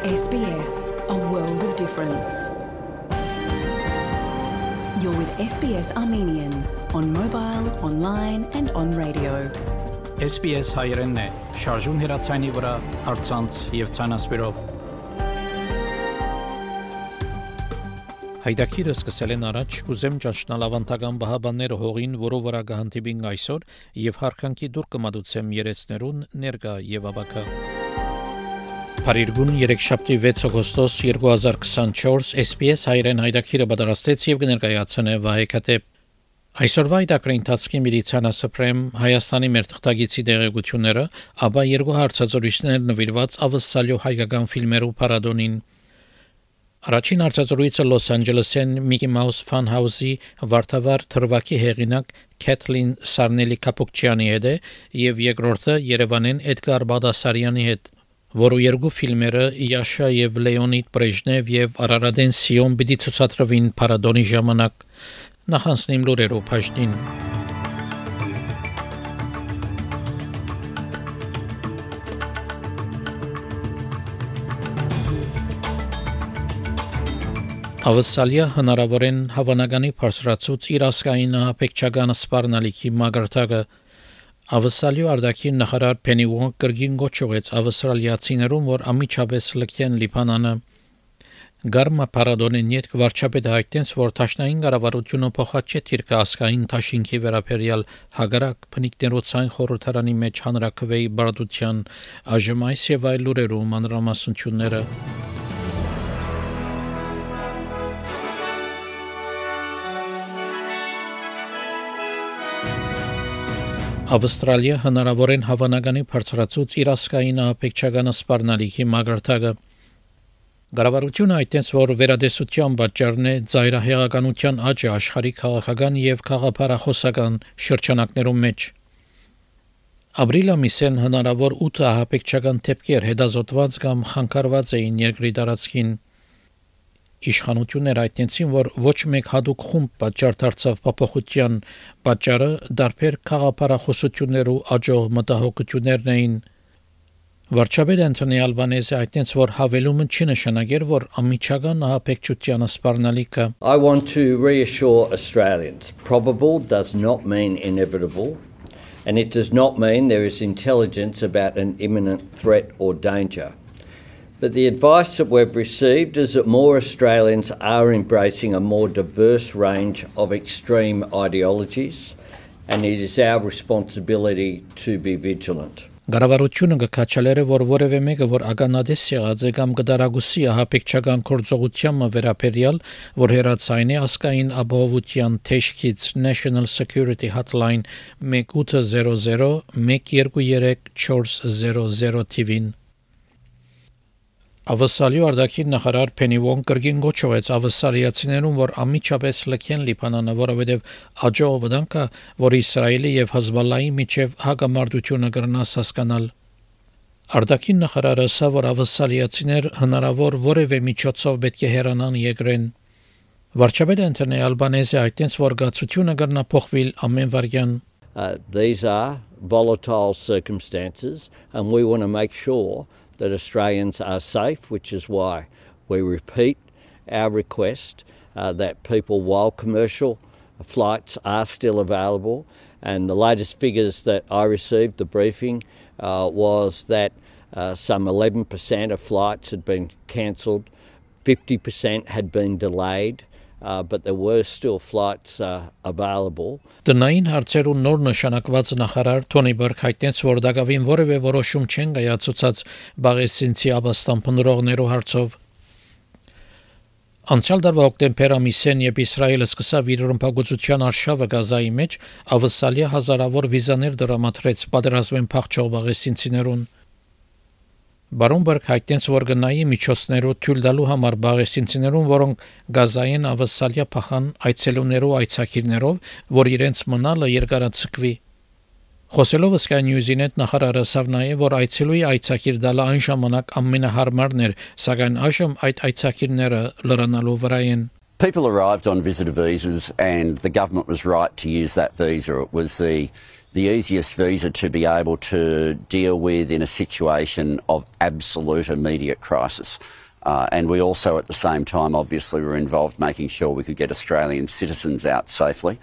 SBS, a world of difference. You're with SBS Armenian on mobile, online and on radio. SBS հայերենն է, շարժուն հեռացանի վրա, առցանց եւ ցանասպիրով։ Հայդակիրը սկսել են առաջ, ուզեմ ճանչնալ ավանդական բահաբանները հողին, որով վրա կհանդիպին այսօր եւ հարկանքի դուր կմատուցեմ երեցներուն ներկա եւ ավակա։ Փարիգուն 3-շաբթի 6 օգոստոս 2024 SBS հայերեն հայդակիրը պատրաստեց եւ կներկայացնե Վահե Քաթեփ։ Այսօրվա հայդակրի ընթացքի միլիցիանասպրեմ Հայաստանի մեր թղթագիտի դեղեցությունները, ապա երկու հարցազրույցներ նվիրված ավսալյո հայկական ֆիլմերու փառատոնին։ Առաջին հարցազրույցը Լոս Անջելեսեն Mickey Mouse Fun House-ի վարդավար թրվակի հեղինակ Քեթլին Սարնելի Կապուկչյանի հետ է եւ երկրորդը Երևանեն Էդգար Բադասարյանի հետ, որը երկու ֆիլմերը Յաշա եւ Լեոնիդ Բրեժնև եւ Արարատեն Սիոն պիտի ցուցադրվին փառատոնի ժամանակ։ Նախանցնիմ լուրերով բաժնին։ Ավսալիա հնարավորեն հավանականի բարձրացուց իր ասկային ապեքչական սպառնալիքի մագարտակը Ավսալիո արդակին նախարար Փենի Ուոնգ կրգին գոչողեց ավստրալիացիներուն, որ ամիջապես լքեն Լիբանանը։ Գարմա Պարադոնեն յետք վարչապետը հայտնեց, որ Տաշնային կառավարությունը փոխած չէ թիրքը ասկային տաշինքի վերաբերյալ հագարակ բնիկներոցային խորհրդարանի մեջ հանրակրվեի բարդության այժմ այս եւ այլ լուրերու մանրամասնությունները։ Ավստրալիա հնարավորեն հավանականի բարձրացուց իր ասկային ապեքչական սպառնալիքի մագարտակը։ Կառավարությունը հայտնեց, որ վերադեսության պատճառն է ծայրահեղականության աճը աշխարհի քաղաքական եւ քաղաքապարախոսական շրջանակներում մեջ։ Ապրիլ ամիսին հնարավոր 8 ապեքչական դեպքեր հետազոտված կամ խանգարված էին երկրի տարածքին։ Իշխանությունները հայտնեցին, որ ոչ մեկ հատուկ խումբ պատճառ դարձավ փոփոխության պատճառը դարբեր քաղաքապարախոսություններու աճող մտահոգություններն էին։ Վարչապետ Անթոնի Ալբանեզը հայտնեց, որ հավելումը չի նշանակեր, որ ամիջական ահաբեկչության սպառնալիքը I want to reassure Australians, probable does not mean inevitable, and it does not mean there is intelligence about an imminent threat or danger. But the advice that we've received is that more Australians are embracing a more diverse range of extreme ideologies, and it is our responsibility to be vigilant. Կառավարությունը կքաչալերը, որ որևէ մեկը, որ ագանադես եղած է կամ կդարագուսի ահաբեկչական գործողությանը վերաբերյալ, որ հերացային է ասկային ապահովության թեժքից National Security Hotline 1800 123 400 TV-ին։ Ավսալիո արդակին նախարար Փենի Ուոնգ կրգին գոչողեց ավսալիացիներուն, որ ամիջապես լքեն Լիբանանը, որովհետև աջող վտանգը, որ Իսրայելի եւ Հեզբոլլայի միջև հակամարտությունը կրնաս հասկանալ։ Արդակին նախարարը ասա, որ ավսալիացիներ հնարավոր որևէ միջոցով պետք է հեռանան երկրեն։ Վարչապետ Անթոնի Ալբանեզը հայտնեց, որ գացությունը կրնա փոխվել ամեն վարյան։ These are volatile circumstances, and we want to make sure that Australians are safe, which is why we repeat our request that people, while commercial flights are still available, and the latest figures that I received, the briefing, was that some 11% of flights had been cancelled, 50% had been delayed, but there were still flights available. Տնային հարցերու նոր նշանակված նախարար Թոնի Բերգ հայտնեց, որ դակավին որևէ որոշում չեն կայացուցած բաղեսինցի աբաստան փնրողներու հարցով։ Անցյալ տարվա հոկտեմբեր ամիսին, երբ Իսրայելը սկսավ իր ռմբակոծության արշավը Գազայի մեջ, ավսալիա հազարավոր վիզաներ դրամատրեց պատերազմեն փախչող բաղեսինցիներուն։ Բարոն Բերգ հայտնեց, որ գնայի միջոցներով թույլ տալու համար բաղեսինցիներուն, որոնք Գազային ավսալիա փախան այցելուներով այցակիրներով, որ իրենց մնալը երկարացկվի։ Խոսելով Sky News-ին հետ նախարարը ասավ նաև, որ այցելուի այցակիր տալը այն ժամանակ ամենահարմարն էր, սակայն այժմ այդ այցակիրները լրանալու վրա են։ People arrived on visitor visas and the government was right to use that visa. It was the the easiest visa to be able to deal with in a situation of absolute immediate crisis. And we also at the same time obviously were involved making sure we could get Australian citizens out safely,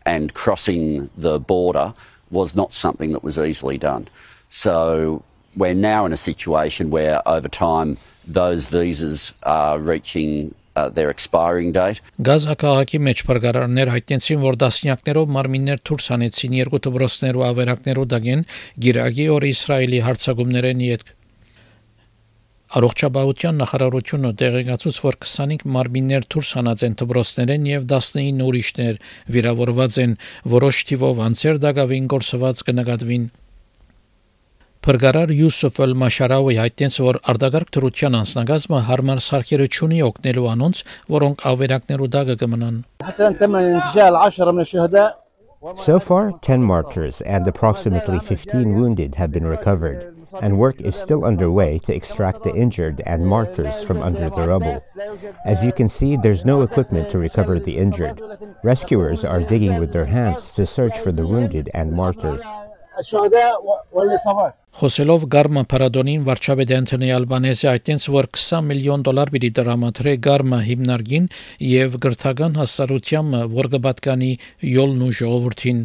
and crossing the border was not something that was easily done. So we're now in a situation where over time those visas are reaching their expiring date. Գազա քաղաքի մեջ փրկարարներ հայտնեցին, որ դասնյակներով մարմիններ դուրս հանեցին երկու դպրոցներու ավերակներու դագեն գիրագի օր Իսրայելի հարձակումներեն յետք։ Առողջապահության նախարարությունը տեղեկացուց, որ 25 մարմիններ դուրս հանած են դպրոցներեն եւ 19 ուրիշներ վիրավորված են, որոշ թիվով անձեր դակավին գործված կնկատվին։ Փրկարար Յուսուֆ Էլ-Մաշարավի հայտնեց, որ արտագաղթ դրության անձնագազմը հարմար սարքերը չունի օգնելու անոնց, որոնք ավերակներու դակը կմնան։ So far, 10 martyrs and approximately 15 wounded have been recovered, and work is still underway to extract the injured and martyrs from under the rubble. As you can see, there's no equipment to recover the injured. Rescuers are digging with their hands to search for the wounded and martyrs. Խոսելով Գարմա Փարադոնին վարչապետ Անթոնի Ալբանեզը հայտնեց, որ $20 միլիոն պիտի տրամադրի Գարմա հիմնարկին եւ գրթական հասարակությանը, որ կպատկանի յոլն ու ժողովրդին։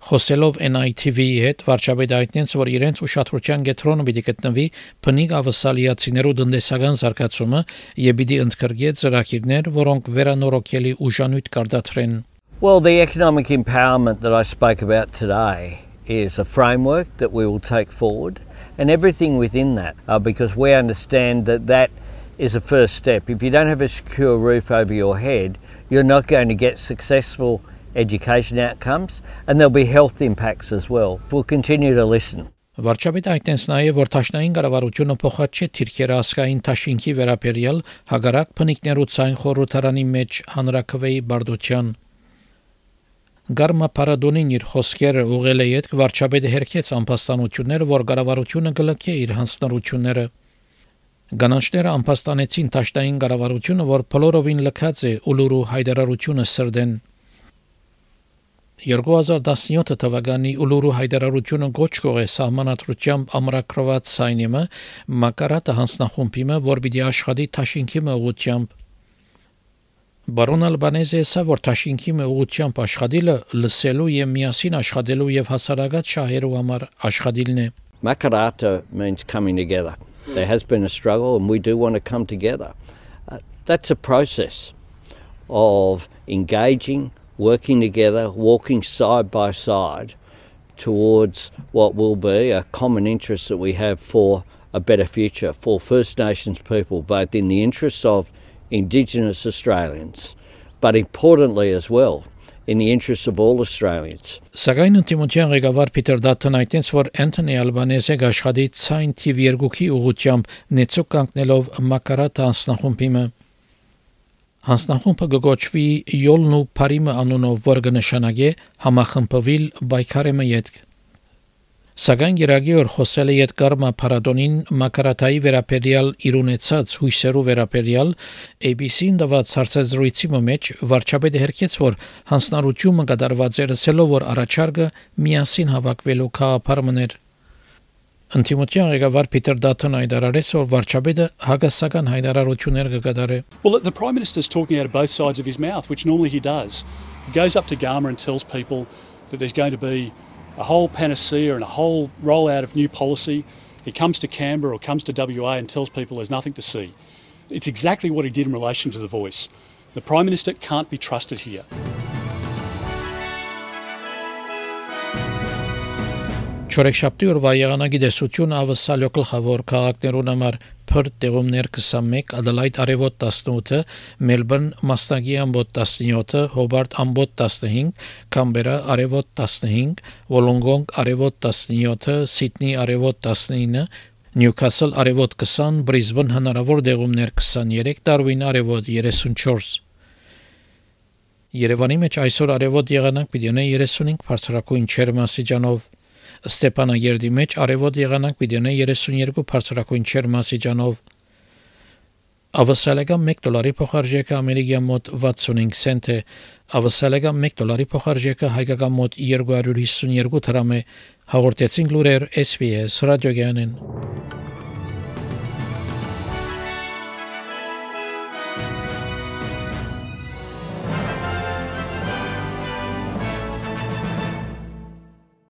Խոսելով NITV-ի հետ վարչապետը հայտնեց, որ իրենց ուշադրության կենտրոնում պիտի գտնվի բնիկ ավասալիացիներու տնտեսական զարգացումը եւ պիտի ընդգրկի ծրագիրներ, որոնք վերանորոգելի ուժանույթ կարտադրեն։ Well, the economic empowerment that I spoke about today is a framework that we will take forward, and everything within that, because we understand that that is a first step. If you don't have a secure roof over your head, you're not going to get successful education outcomes, and there'll be health impacts as well. We'll continue to listen. Վարչապետը հայտնեց նաև, որ Տաշնային կառավարությունը փոխած չէ թիրքերը ասկային տաշինքի վերաբերյալ հագարակ բնիկներու ցայն խորհրդարանի մեջ հանրակրվեի բարդության։ Գարմա Փարադոնին իր խոսքերը ուղղել է յետք վարչապետը հերքեց անփաստանությունները, որ կառավարությունը կլքե իր հանձնառությունները։ Գանանչները անփաստանեցին Տաշնային կառավարությունը, որ բոլորովին լքած է ուլուրու հայտարարությունը սրդեն։ 2017 թվականի ուլուրու հայտարարությունը գոչ կողե սահմանադրությամբ ամրագրված սայնիմը մակարատը հանձնախումբիմը, որ պիտի աշխատի Տաշինքի ուղղությամբ։ Բարոն Ալբանեզը ասա, որ Տաշինքի ուղղությամբ աշխատելը լսելու եւ միասին աշխատելու եւ հասարակած շահերու համար աշխատելն է։ Makarata means coming together. There has been a struggle and we do want to come together. That's a process of engaging, working together, walking side by side towards what will be a common interest that we have for a better future for First Nations people, both in the interests of Indigenous Australians, but importantly as well, in the interests of all Australians. Սակայն ընդդիմության ղեկավար Փիթեր Դաթն այդտենց, որ Անթոնի Ալբանեզը աշխատի ցայն թիվ 2-ի ուղղությամբ նեցուկ կանգնելով մակարատ հանձնախումբիմը։ Հանձնախումբը գոչվի յոլն ու Փարիմը անունով, որ կնշանակե համախմբվել բայկարեմը յետք։ Սակայն Գիրագի օր խոսել է Գարմա Փարադոնին մակարատայի վերաբերյալ իր ունեցած հույսերու վերաբերյալ ABC-ին տված հարցազրույցի մեջ վարչապետը հերքեց, որ հանձնառությունը կատարված է ասելով, որ առաջարկը միասին հավաքվելու գաղափարներ։ Ընդդիմության ղեկավար Փիթեր Դաթն հայտարարեց, որ վարչապետը հագասական հայտարարություններ կկատարի։ Well, the Prime Minister's talking out of both sides of his mouth, which normally he does. He goes up to Gama and tells people that there's going to be a whole panacea and a whole rollout of new policy. He comes to Canberra or comes to WA and tells people there's nothing to see. It's exactly what he did in relation to The Voice. The Prime Minister can't be trusted here. Չորեքշաբթի օրվա եղանակի դեսություն ավսալյո գլխավոր քաղաքներուն համար Perth տեղումներ 21, Adelaide արևոտ 18, Melbourne մասնագի ամբոտ 17, Hobart ամբոտ 15, Canberra արևոտ 15, Wollongong արևոտ 17, Sydney արևոտ 19, Newcastle արևոտ 20, Brisbane հնարավոր տեղումներ 23, Darwin արևոտ 34։ Երևանի մեջ այսօր արևոտ եղանակ պիտի ունենա 35 բարձրակույն ջերմաստիճանով, Ստեփանագերդի մեջ արևոտ եղանակ պիտի ունենա 32 բարձրակույն ջերմաստիճանով, Ավասալեգա $1 փոխարժեքը ամերիկյան մոտ 65 سنت է, ավասալեգա $1 փոխարժեքը հայկական մոտ 252 դրամ է, հաղորդեցին լուրեր SPS ռադիոգյանեն։